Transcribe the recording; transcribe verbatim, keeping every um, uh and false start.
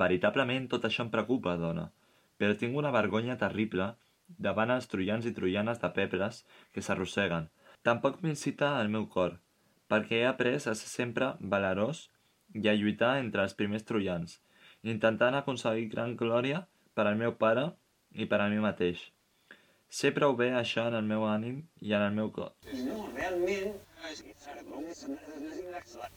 Veritablement tot això em preocupa, dona, però tinc una vergonya terrible davant els troians i troianes de pebres que s'arrosseguen. Tampoc m'incita el meu cor, perquè he après a ser sempre valerós i a lluitar entre els primers troians, intentant aconseguir gran glòria per al meu pare i per a mi mateix. Sé prou bé això en el meu ànim i en el meu cor. No, realment...